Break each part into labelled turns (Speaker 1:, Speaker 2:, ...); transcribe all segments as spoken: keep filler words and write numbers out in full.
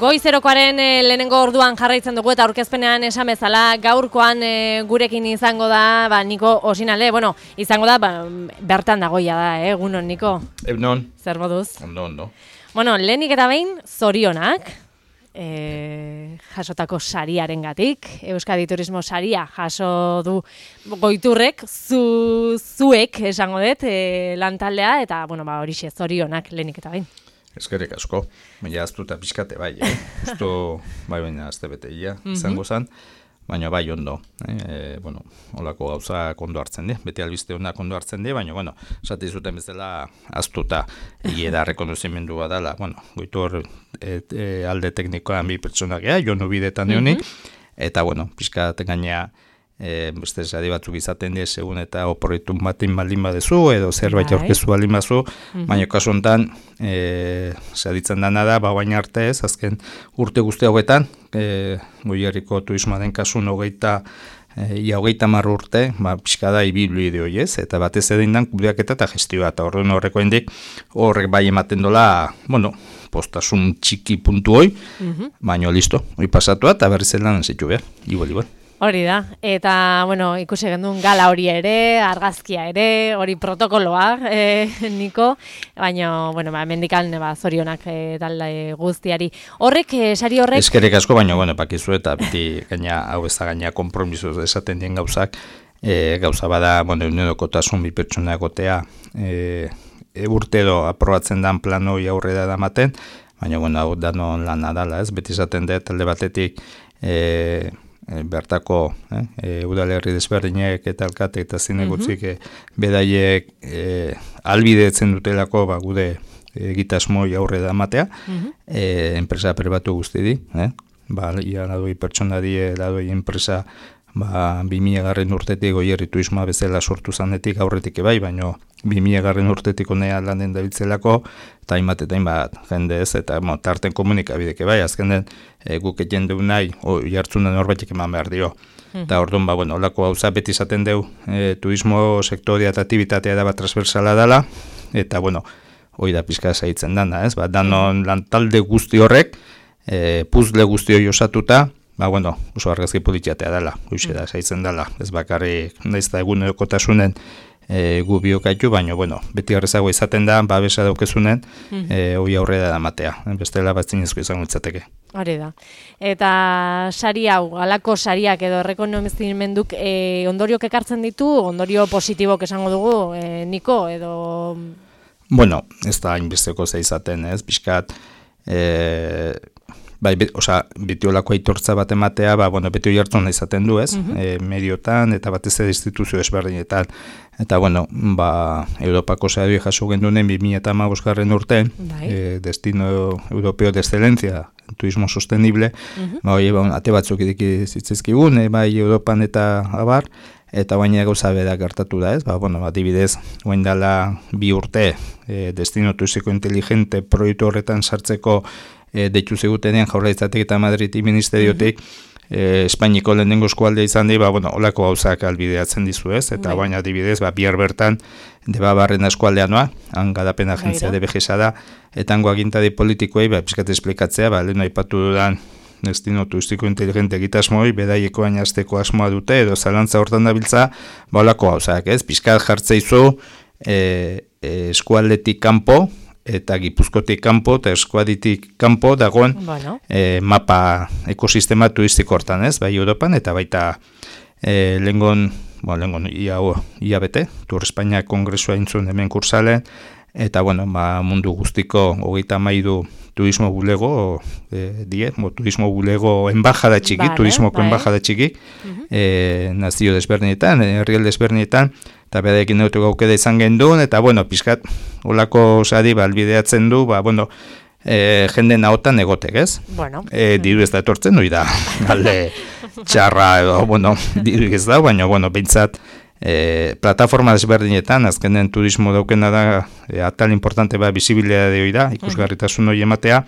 Speaker 1: Goizerokoaren e, lehenengo orduan jarraitzen dugu eta aurkezpenean esan bezala gaurkoan e, gurekin izango da, ba, Niko Osinalde, bueno, izango da, ba, bertan dagoia da, eh, egunon, Niko?
Speaker 2: Egunon.
Speaker 1: Zer moduz?
Speaker 2: Ondo, ondo.
Speaker 1: Bueno, lehenik eta behin, zorionak, e, jasotako sariarengatik, Euskadi Turismo saria jaso du Goiturrek, zu, zuek esango dut, e, lantaldea, eta, bueno, ba, horixe, zorionak lehenik eta behin.
Speaker 2: Eskerrik asko, baina aztu eta pixkate bai, eh? Justo, bai baina azte beteia izango zen, baina bai ondo, eh? E, bueno, holako gauza ondo hartzen di, beti albiste honak ondo hartzen di, baina, bueno, esate zuten bezala aztu eta egia da rekonozimendu badala, bueno, Goitur et, e, alde teknikoan bi pertsonak ea, jonu bidetan euni, eta, bueno, pixkate gainea, E, beste sari batzuk izaten die segun eta oporritun batin baldin badezu edo zerbait aurkezu baldin bazu, mm-hmm. baina kasu honetan e, saritzen dana da, ba baina arte ez, azken urte guzti hauetan, e, Goierriko turismoaren kasun hogeita e, ia hogeita hamar urte, ba, pixka da ibilbide hori ez, eta batez edindan kudeaketa eta gestioa, eta horren horreko hendik horrek bai ematen dola, bueno, postasun txiki puntu hoi, mm-hmm. baina listo, hori pasatua eta berriz zelan zitu behar, igual, igual.
Speaker 1: Hori da, eta, bueno, ikusi gendun gala hori ere, argazkia ere, hori protokoloa, e, Niko, baina, bueno, ba, mendikan, ba, zorionak e, talde guztiari. Horrek, e, sari horrek...
Speaker 2: Eskerrik asko, baina, bueno, pakizu eta beti gaina, hau ez da gaina kompromiso esaten dien gauzak, e, gauza bada, bueno, unedokotasun bi pertsona egotea, e, e, urte edo aprobatzen dan planoi aurrera da maten, baina, bueno, hau danon lana dala, ez, beti esaten dut, talde batetik, e, E, bertako eh, e, udalerri desberdinek eta alkate eta zinegutzik mm-hmm. e, bedaiek e, albidetzen dutelako ba, gude egitasmoi aurre da matea, mm-hmm. e, enpresa pribatu guzti di, eh? ba, ia ladoi pertsona die, ladoi enpresa ba, bi mila garren urtetik Goierri turismoa bezala sortu zanetik aurretik ebai, baina bi mila garren urtetik onea landen dabiltzelako, eta hainbat eta hainbat jende ez, eta mo, tarten komunikabideke bai, azken den e, guk egin deu nahi, o, jartzunen horbaitek eman behar dio. Mm. Eta orduan, ba, bueno, olako gauza beti izaten deu, e, turismo sektoria eta aktibitatea da bat transversala dela, eta, bueno, hori da pizka zaitzen dana, ez? Ba, danon lantalde guzti horrek, e, puzle guzti hori osatuta, ba, bueno, oso argazki politiatea dela, hoxe da, zaitzen dela, ez bakarri, naiz da egun erokotasunen e, gu biokaitu, baina, bueno, beti arrezago izaten da, babesa daukezunen, mm-hmm. e, hoi aurrera da matea, bestela bat zinezko izango itzateke.
Speaker 1: Hori da. Eta sari hau, alako sariak edo errekonomizimenduk e, ondoriok ekartzen ditu, ondorio positibok esango dugu, e, Niko, edo...
Speaker 2: Bueno, ez da hainbesteko za izaten, ez, pixkat, e, bai, be, oza, beti olako aitortza bat ematea, ba, bueno, beti hori hartzen izaten du, ez, mm-hmm. e, mediotan, eta batez ere instituzio ezberdinetan, eta, bueno, ba, Europako sari jaso gendunen bi mila hamabosgarren urtean, e, Destino Europeo de Excelencia, Turismo Sostenible, mm-hmm. ba, hori, ba, ate batzuk ediki zitzezkigun, e, bai, Europan eta abar, eta baina gauza bera gertatu da, ez, ba, bueno, adibidez, guen dela bi urte, e, Destino Turistiko Inteligente proiektu horretan sartzeko E, deitu zegutenean Jaurlaritzatik eta Madrid ministeriotik mm-hmm. e, Espainiko lehenengo eskualdea izan di, ba, bueno, olako gauzak albideatzen dizu ez, eta bai. Baina adibidez, ba, bihar bertan Debabarren eskualdea noa, han garapen agentzia de begesa da, eta hango agintari politikoei, ba, pizkat esplikatzea, ba, lehen aipatu dudan Destino Turistiko Inteligente egitasmoi, bedaieko ainazteko asmoa dute, edo zalantza hortan dabiltza, ba, olako gauzak ez, pizkat jartzeizu e, e, eskualdetik kanpo, eta Gipuzkotik kanpo eta Eskuaditik kanpo dagoen bueno. e, mapa ekosistema turistiko hortan, ez? Bai Europan eta baita e, lengon, bueno, lengon ia, ia bete, Tur Espainia Kongresua intzun hemen kursalen, eta bueno, ba, mundu guztiko hogeita hamairu turismo bulego e, die, mo, turismo bulego enbajada txiki, vale, turismoko bai. enbajada txiki, uh-huh. e, nazio desberdinetan, herrialde desberdinetan, eta bedaekin neutu gaukeda izan gendun, eta, bueno, pixkat, olako sari, ba, albideatzen du, ba, bueno, e, jende nahotan egotek, ez?
Speaker 1: Bueno.
Speaker 2: E, diru ez da etortzen, hori da, galde txarra, edo, bueno, diru ez da, baina, bueno, behintzat, e, plataforma desberdinetan, azkenen turismo daukena da, e, atal importante, ba, bisibilidade hori da, ikusgarritasun hori ematea,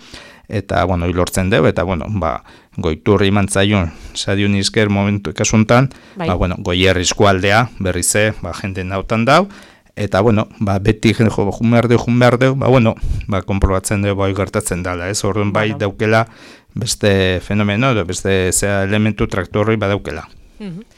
Speaker 2: eta, bueno, hilortzen deu, eta, bueno, ba, Goiturri mantzaion, sadion izker momentu ekasuntan, bai. Ba, bueno, Goierri eskualdea, berrize, ba, jende nautan dau, eta, bueno, ba, beti jende jo, jun behar deu, jun behar deu, ba, bueno, ba, komprobatzen deu, bai gertatzen dala, ez, orduan bai bueno. daukela, beste fenomeno, edo beste zea elementu traktorroi badaukela.
Speaker 1: Mhm.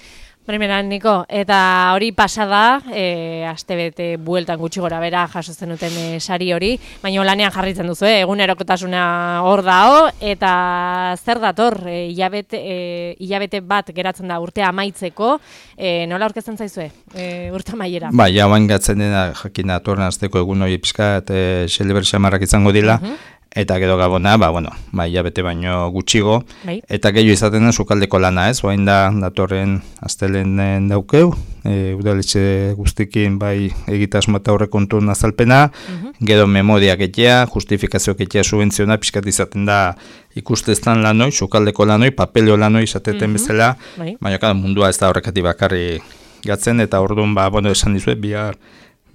Speaker 1: Primeran, Niko, eta hori pasada, e, astebete bueltan gutxi gora bera jasotzen duten e, sari hori, baina lanean jarritzen duzu, eh? Egunerokotasuna hor dao, eta zer dator, e, hilabete, e, hilabete bat geratzen da urtea amaitzeko, e, nola aurkezten zaizue, e, urte amaiera?
Speaker 2: Ba, ja, oain gatzen dena jakina atorren azteko egun hori pixkat, e, xeleber xamarrak izango dila, uh-huh. Eta gero gabona, ba, bueno, ba, hilabete baino gutxigo, bai. Eta gehiago izaten den sukaldeko lana, ez? Oain da, datorren astelenen daukeu, e, udaletxe guztikin bai egitasmo eta aurrekontu azalpena, uh-huh. Gero memoria gehiago, justifikazio gehiago subventziona, pixkat izaten da ikusteztan lanoi, sukaldeko lanoi, papeleo lanoi izateten uh-huh. bezala, bai. Baina kada mundua ez da horrekati bakarri gatzen, eta orduan, ba, bueno, esan dizuet, bihar,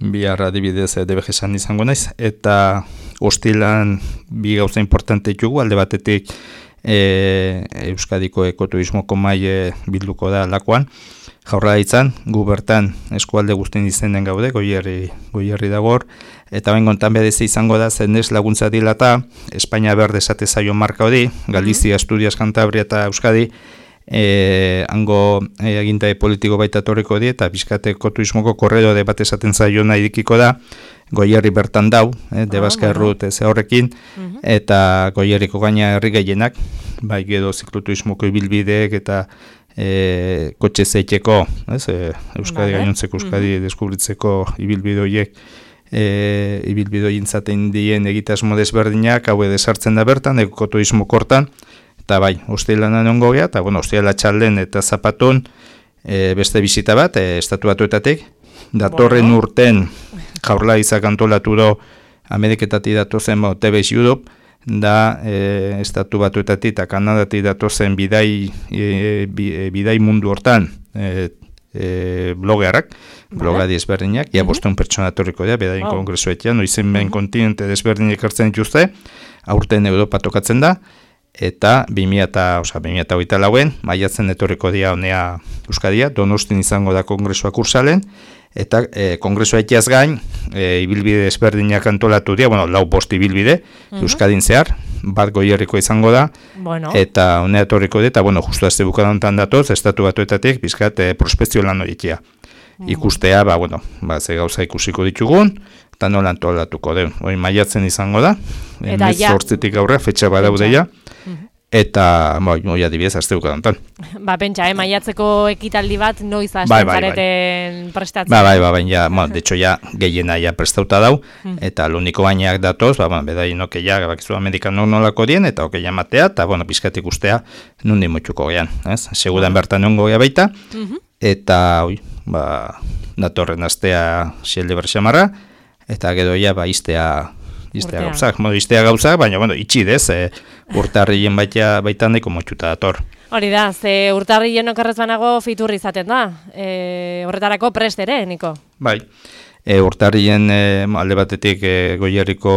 Speaker 2: bihar adibidez D B G esan izango naiz, eta hostilan bi gauza importante ditugu, alde batetik e, Euskadiko ekoturismoko maile bilduko da lakoan, Jaurlaritzan, gu bertan eskualde guztien izenen gaude, goierri, goierri dagor, eta bain gontan bedeze izango da, zenez laguntza dilata, Espainia berde esate zaio marka hori, Galizia, Asturias, Cantabria eta Euskadi, E, hango e, agintai politiko baita torriko di, eta bizkateko turismoko korredore bat esaten zaiona idikiko da, Goierri bertan dau, eh, Debaska errut ez horrekin, uh-huh. Eta Goierriko gaina herri gehienak, bai gero zikloturismoko ibilbideek eta e, kotxe zeiteko, ez, e, Euskadi vale. Gainontzeko, Euskadi uh-huh. deskubritzeko ibilbidoiek, e, ibilbidoien zaten dien egitasmo desberdinak, hau edesartzen da bertan, ekoturismo kortan, eta bai, hostilanan ongo gea, eta bueno, hostila txalden eta zapaton e, beste bizita bat, e, estatu batuetatik, datorren bueno. Urten Jaurlaritzak antolatu do Ameriketatik datozen bo, T V S Europe, da e, estatu batuetatik eta Kanadatik datozen bidai, e, bidai mundu hortan e, e, blogearrak, vale. Blogadi ezberdinak, ia uh-huh. bosteun pertsona torriko dira, bedain wow. kongresuetan, noizen ben uh-huh. kontinente desberdinak hartzen dituzte, aurten Europa tokatzen da, eta bi mila hogeita lauen maiatzen etorriko dira honea Euskadia, Donostin izango da kongresuak ursalen, eta e, kongresua etiaz gain, e, ibilbide ezberdinak antolatu dira, bueno, lau bost ibilbide, uh-huh. Euskadin zehar, bat Goierriko izango da, bueno. Eta honea etorriko dira, eta bueno, justu azte bukadantan datoz, estatu batuetatik, bizkat, e, prospekzio lan horitia. Uh-huh. Ikustea, ba, bueno, ba, ze gauza ikusiko ditugun, eta nola antolatuko den. Hoi maiatzen izango da, emez zortzitik aurre, fetxa badaude ja, eta, bai, moi adibidez, azteuko dantan.
Speaker 1: Ba, pentsa, eh, maiatzeko ekitaldi bat noiz hasten bai, bai, zareten bai. Prestatzen.
Speaker 2: Ba, bai, ba, bai, ja, ma, de hecho, ja, gehiena ja prestauta dau, mm. eta luniko bainak datoz, ba, bueno, bedai noke ja, bakizu amerikanok nolako dien, eta oke matea, eta, bueno, pizkatik ustea, nundi motxuko gean, ez? Segudan mm. bertan nongo gea baita, mm-hmm. eta, oi, ba, datorren astea xelde berxamarra, eta gero ja, ba, iztea, iztea gauzak, modu iztea gauzak, baina, bueno, itxidez, e, urtarrien baita, baita nahiko motxuta dator.
Speaker 1: Hori da, ze urtarrien okerrez banago fiturri izaten da, e, horretarako prest ere, Niko?
Speaker 2: Bai, e, urtarrien e, alde batetik e, Goierriko,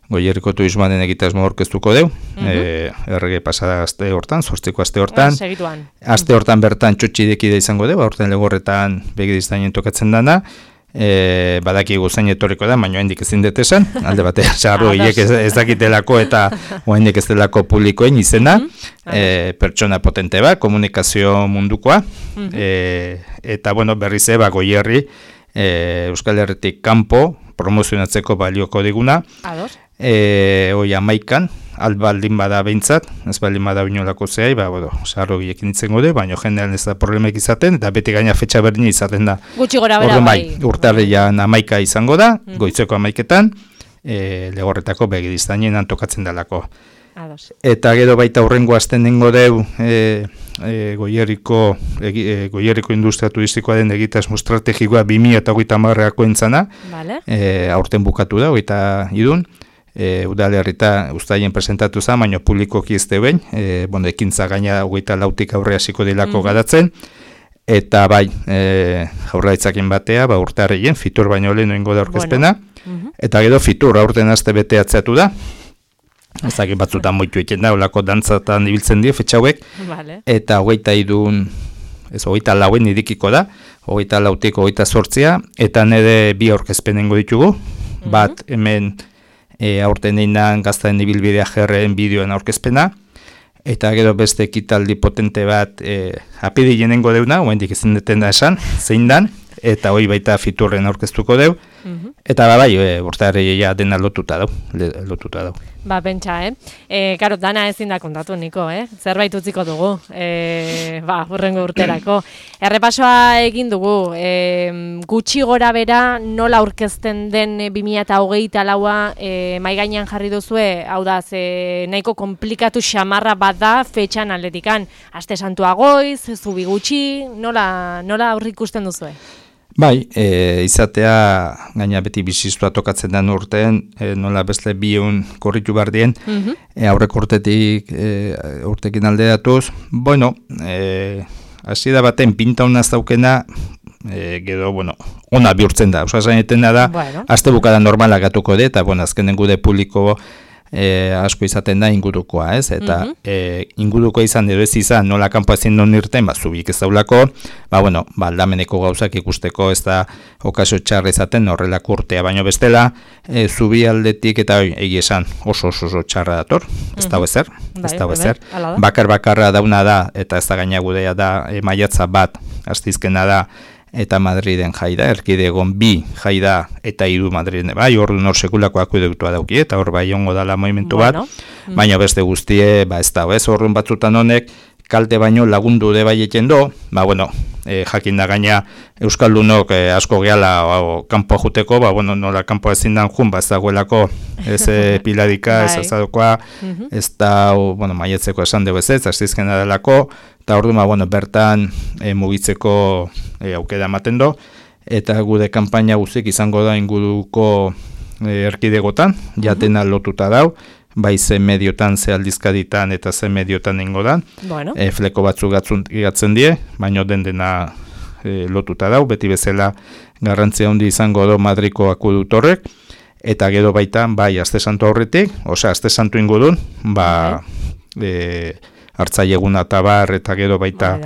Speaker 2: Goierriko turismoaren egitasmo orkestuko deu, uh-huh. e, errege pasada aste hortan, zortziko aste hortan,
Speaker 1: ah, segituan.
Speaker 2: Aste hortan bertan txotxidekide izango deu, horten legorretan begidiztainen tokatzen dana, E, badaki guzain etorriko da, baina hendik ezin dut esan, alde bate, sarro hiek ez, ez dakitelako eta hendik ez delako publikoen izena, mm-hmm. e, pertsona potente bat, komunikazio mundukoa, mm-hmm. e, eta bueno, berriz eba Goierri, e, Euskal Herritik kanpo promozionatzeko balioko diguna, e, oi amaikan, albaldin bada behintzat, ez baldin bada inolako zehai, ba, bueno, sarro giekin ditzen gode, baina jendean ez da problemek izaten, eta beti gaina fetxa berdin izaten da.
Speaker 1: Gutxi gora bera bai.
Speaker 2: Urtarrian amaika izango da, mm-hmm. goitzeko amaiketan, e, legorretako begidiztainen antokatzen dalako.
Speaker 1: Ados.
Speaker 2: Eta gero baita hurrengo azten nengo deu, e, e, Goierriko, e, Goierriko industria turistikoa den egitasmo estrategikoa bi mila hogeita hamarrako entzana, vale. e, aurten bukatu da, hogeita idun, E, udalerrita ustaien presentatu zen, baina publikoki ez deuen, e, bueno, ekintza gaina hogeita lautik aurre hasiko dilako mm-hmm. garatzen, eta bai, e, Jaurlaritzakin batea, ba, urtarrien, fitur baino lehen oingo da orkezpena, bueno. mm-hmm. eta gero fitur aurten aste bete atzeatu da, ezagin batzutan moitu eken da, olako dantzatan ibiltzen die, fetxauek, vale. Eta hogeita idun, ez hogeita lauen idikiko da, hogeita lautik hogeita sortzia, eta nire bi orkezpenengo ditugu, mm-hmm. bat hemen, E, aurten einan gaztaen ibilbidea jerreen bideoen aurkezpena, eta gero beste ekitaldi potente bat e, apirilenengo deuna, oendik ezin deten da esan, zein dan, eta hoi baita Fiturren aurkeztuko deu, mm-hmm. eta ba, bai, e, urteare ja dena lotuta dau, lotuta dau.
Speaker 1: Ba, pentsa, eh? E, karo, dana ezin da kontatu, Niko, eh? Zerbait utziko dugu, e, ba, hurrengo urterako. Errepasoa egin dugu, e, gutxi gora bera nola aurkezten den bi mila hogeita laua e, mai gainean jarri duzue, hau da, ze nahiko komplikatu xamarra bat da fetxan aldetikan. Aste Santua goiz, zubi gutxi, nola, nola aurrikusten duzue?
Speaker 2: Bai, e, izatea gaina beti biziztua tokatzen den urtean, e, nola beste biun korritu bardien, mm-hmm. e, aurrek urtetik e, urtekin alderatuz, bueno, e, hasi da baten pinta honaz daukena, e, gero, bueno, ona bihurtzen da, osa zaineten da, bueno. Aste bukada normalak gatuko de, eta, bueno, azkenen gude publiko E, asko izaten da ingurukoa, ez? Eta mm-hmm. e, inguruko izan edo ez izan, nola kanpo ezin non irten, ba, zubik ez daulako, ba, bueno, ba, aldameneko gauzak ikusteko ez da okazio txarra izaten horrelako urtea, baino bestela, e, zubi aldetik eta oi, egi esan oso oso, oso txarra dator, ez mm-hmm. dago ezer, ez dago ezer, bakar bakarra dauna da, eta ez da gaina gudea da, e, maiatza bat, astizkena da, eta Madriden jaida, erkidegon bi jaida eta hiru Madriden, bai, hor nor sekulako akueduktua dauki, eta hor bai ongo dala movimentu bueno. bat, mm. baina beste guztie, ba ez da, ez horren batzutan honek, kalte baino lagundu de bai eken do, ba bueno, e, jakin da gaina Euskaldunok e, asko gehala o, kanpo juteko, ba bueno, nola kanpo ezin dan jun, ba ez dagoelako, ez e, piladika, ez azadokoa, mm-hmm. ez da, o, bueno, maietzeko esan dugu ez ez, azizkena delako, eta ordu, ba, bueno, bertan e, mugitzeko e, aukera ematen do, eta gude kanpaina guzik izango da inguruko e, erkidegotan, jatena mm-hmm. lotuta dau, bai ze mediotan, ze aldizkaditan eta ze mediotan ingo da, bueno. e, fleko batzuk gatzen die, baino den dena e, lotuta dau, beti bezala garrantzia handi izango do Madriko akudutorrek, eta gero baita, bai, Aste Santu aurretik, osea, Aste Santu ingurun, ba, e, hartzaileguna eta bar, eta gero baita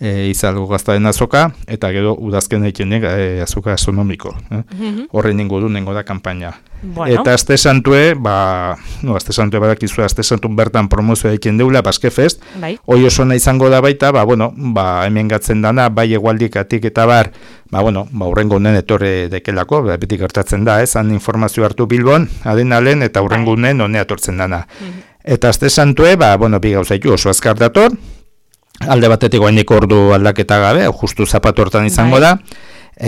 Speaker 2: e, izalgo gaztaren azoka, eta gero udazken egitenek e, azoka astronomiko. Eh? Mm-hmm. Horren ingurun nengo da kanpaina. Bueno. Eta Aste Santue, ba, no, Aste Santue badakizu, Aste Santun bertan promozioa egiten deula, Baske Fest, bai. Hoi oso nahi izango da baita, ba, bueno, ba, hemen gatzen dana, bai egualdikatik eta bar, ba, bueno, ba, urrengo honen etorre dekelako, ba, beti gertatzen da, ez, han informazio hartu Bilbon, adenalen, eta urrengo honen hone atortzen dana. Mm-hmm. Eta Aste Santue, ba, bueno, bi gauzaitu oso azkar dator, alde batetik goainik ordu aldaketa gabe, justu zapatu hortan izango bai. Da,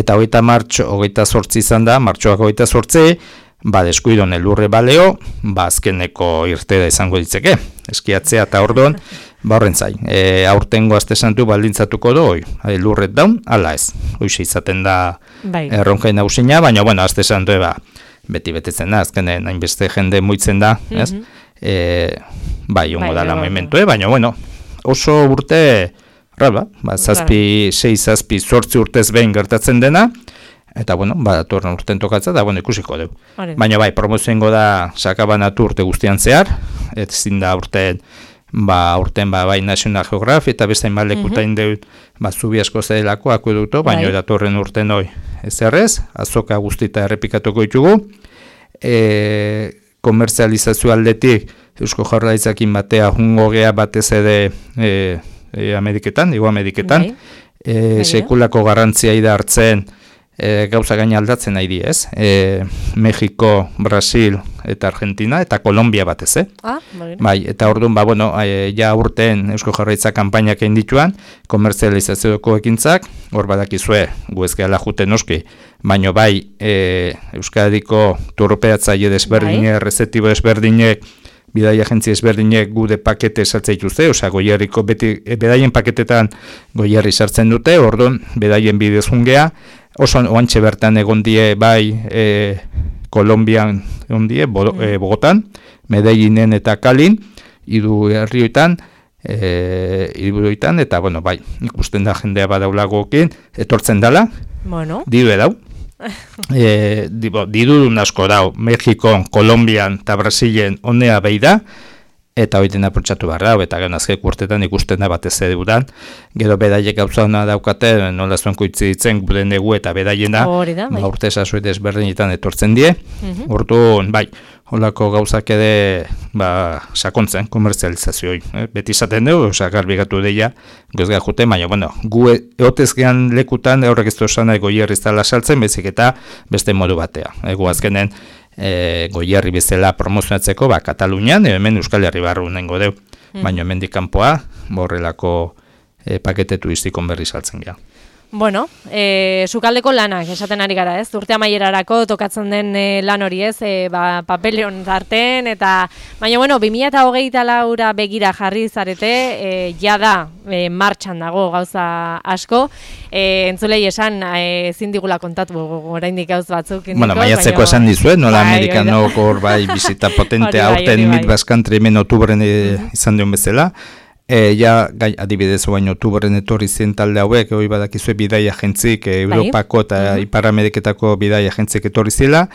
Speaker 2: eta hogeita martxo, hogeita sortzi izan da, martxoak hogeita sortzi, ba, deskuidon elurre baleo, ba, azkeneko irtera izango ditzeke, eskiatzea eta orduan, ba, horren zai, e, aurtengo Aste Santu baldintzatuko do, oi, elurret daun, ala ez, hoize izaten da bai. Erronkain nausina, baina, bueno, Aste Santu eba, beti betetzen da, azkenen hainbeste jende muitzen da, ez? Mm-hmm. E, bai, ongo bai, da la movimentu, eh? Baina, bueno, oso urte, raba, ba, zazpi, sei, zazpi, zortzi urtez behin gertatzen dena, eta, bueno, ba, datorren urten tokatza, da, bueno, ikusiko dugu. Baina, bai, promozioengo da sakabanatu urte guztian zehar, ez zin da urten, ba, urten, ba, bai, National Geographic, eta beste hainbat lekutain mm-hmm. deut, ba, zubi asko zedelako akueduto, baina bai. Datorren urten hoi, ez errez, azoka guztita errepikatuko ditugu, e, komerzializazio aldetik, Eusko Jaurlaritzakin batea jungo gea batez ere e, e, Ameriketan, Ego Ameriketan, e, sekulako garrantzia ida hartzen e, gauza gaina aldatzen nahi di, ez? E, Mexiko, Brasil eta Argentina eta Kolombia batez, eh? Ah, bai, eta orduan, ba, bueno, e, ja urten Eusko Jaurlaritza kanpainak egin dituan, komerzializazioko ekintzak, hor badakizue, gu ez gehala juten noski, baino bai, e, Euskadiko turpeatzaile desberdinek, bai. Rezetibo desberdinek, bidai agentzia ezberdinek gude pakete sartzen dituzte, osea goierriko beti e, bedaien paketetan goierri sartzen dute, orduan bedaien bidez jungea, oso oantxe bertan egon die bai e, Kolombian egon die, Bo, e, Bogotan, Medellinen eta Kalin, hiru herrioetan, e, hiruetan, eta bueno, bai, ikusten da jendea badaulagoekin, etortzen dala, bueno. Diru edau. E, diru asko dau, Mexikon, Kolombian eta Brasilen honea behi da, eta hori dena protxatu barra, eta gero azkek urtetan ikusten da batez ere udan, gero bedaiek gauza hona daukate, nola zuenko itzi ditzen, gure negu eta bedaiena,
Speaker 1: bai.
Speaker 2: urte sasoide ezberdinetan etortzen die,
Speaker 1: Mhm.
Speaker 2: orduan, bai, holako gauzak ere ba, sakontzen, komerzializazioi. Eh? Beti izaten dugu, oza, garbigatu deia, gozga jute, baina, bueno, gu eotezgean lekutan, horrek ez duzan goierri zala saltzen, bezik eta beste modu batea. Egu azkenen, e, goierri bezala promozionatzeko, ba, Katalunian, hemen Euskal Herri barru nengo deu, mm. baina hemendik kanpoa, borrelako e, pakete turistikon berri saltzen gara.
Speaker 1: Bueno, e, sukaldeko lanak, esaten ari gara, ez? Urte amaierarako tokatzen den e, lan hori, ez? E, ba, papeleon zarten, eta... Baina, bueno, bi mila hogeita laura begira jarri zarete, e, jada e, martxan dago gauza asko. E, entzulei esan, e, ezin digula kontatu oraindik gauz batzuk. Indiko,
Speaker 2: bueno, maiatzeko
Speaker 1: baina...
Speaker 2: esan dizuen, nola
Speaker 1: bai,
Speaker 2: amerikanok hor bai bizita potente aurten mit baskantri hemen otubren e, izan duen bezala. E, ja, gai, adibidez, baino, otubren etorri zen talde hauek, hori badakizue bidai agentzik, e, Europako eta uh -huh. Ipar Ameriketako bidai agentzik etorri zela,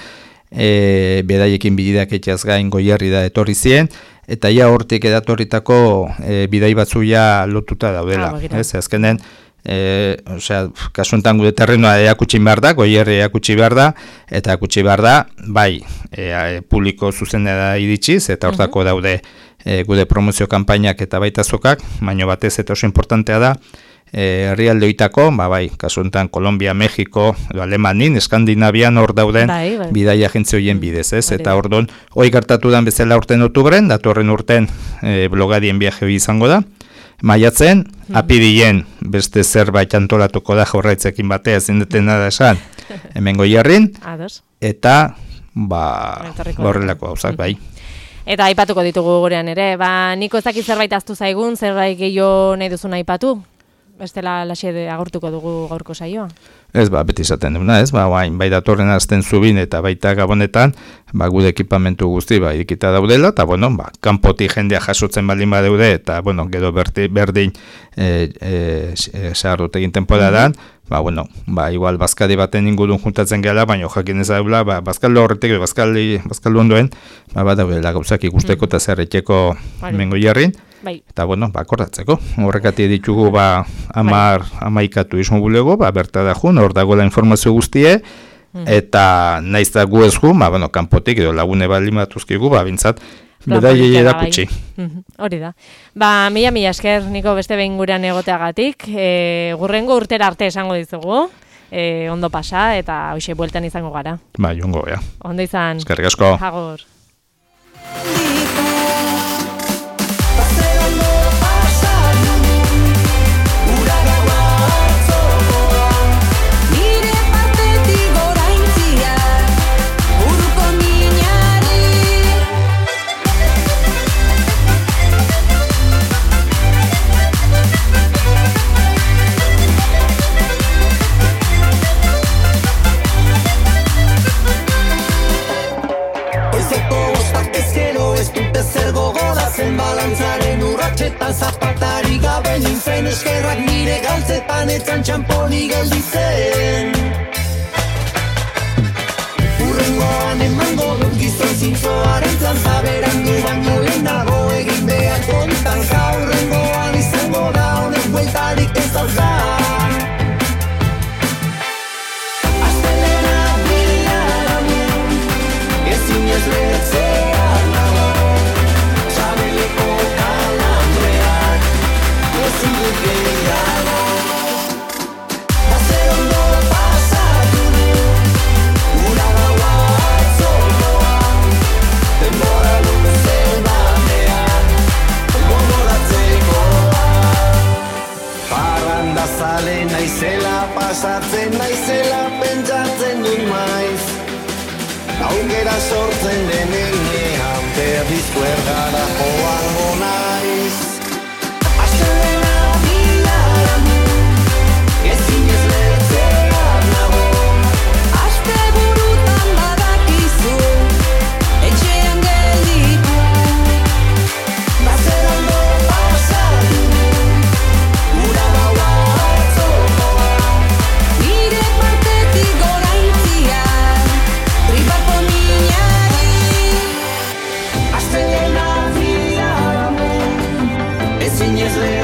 Speaker 2: e, bidaiekin bididak etxaz gain goierri da etorri ziren, eta ja hortik edatorritako e, bidai batzu ja lotuta daudela. Ah, ez, azkenen, e, osea, kasuntan gure terrenoa erakutsi behar da, goierri erakutsi behar da, eta erakutsi behar da, bai, e, e, publiko zuzenera iritsiz, eta hortako uh -huh. daude E, gude promozio kanpainak eta baita zokak, baina batez eta oso importantea da, herrialde e, oitako, ba, bai, kasu honetan Kolombia, Mexiko, Alemanin, Eskandinavian hor dauden bai, bai. bidai agentzia horien bidez, ez? Eta ordon, hori gertatu dan bezala urten otubren, datorren urten e, blogadien viaje hori izango da, maiatzen, hmm. apirien beste zerbait antolatuko da jorraitzekin batea ezin detena da esan, hemen goierrin, eta ba, horrelako gauzak, bai.
Speaker 1: Eta aipatuko ditugu gurean ere, ba, niko ez dakit zerbait aztu zaigun, zerbait gehiago nahi duzun aipatu? Bestela laxe agurtuko dugu gaurko saioa.
Speaker 2: Ez, ba, beti izaten duna, ez, ba, bain, bai datorren azten zubin eta baita gabonetan, ba, gude ekipamentu guzti, ba, irikita daudela, eta, bueno, ba, kanpoti jendea jasotzen baldin badeude, eta, bueno, gero berti, berdin, e, e, e, sagarrotegin temporadan, ba, bueno, ba, igual, bazkari baten ingurun juntatzen gela, baina jakin ez daula, ba, bazkaldo horretek, bazkaldi, bazkaldo ondoen, ba, ba, daudela gauzak ikusteko eta zerretxeko mengo jarrin, bai. Eta, bueno, ba, akordatzeko. Horrekati ditugu, ba, amar, bai. amaikatu izan bulego, ba, berta da jun, hor dagoela informazio guztie, mm. eta naiz da gu ez ju, ba, bueno, kanpotik edo lagune bali matuzkigu, ba, bintzat, bedaiei erakutsi.
Speaker 1: Hori da. Ba, mila mila esker, niko beste behin gurean egoteagatik, e, gurrengo urtera arte esango dizugu, e, ondo pasa, eta hoxe bueltan izango gara.
Speaker 2: Ba, jongo, ja.
Speaker 1: Ondo izan.
Speaker 2: Eskerrik asko.
Speaker 1: Agur.
Speaker 3: Balantzaren urratxetan zapatari gabe nintzen eskerrak nire galtzetan etzan txamponi gelditzen Urrengoan emango dut gizon zintzoaren planta berandu baino lehenago egin behar kontan Jaurrengoan izango da honek bueltarik ez dauzan Astelena bilaramien ezin ez lehetzean nago Sabeleko kalambreak ezin dut gehiago Baze ondo pasatu du Ura gaua atzoloan Denbora luze batean Gogoratzekoa Parranda zale naizela pasatzen naizela pentsatzen dut maiz Aukera sortzen denean Berdizko ergara joango naiz Astelena bilaramu Ezin ez lehetzean nago Aste burutan badakizu Etxean gelditu Bazer ondo pasatu Ura gaua atzoloa Nire partetik goraintzia Tripako minari Astelena ez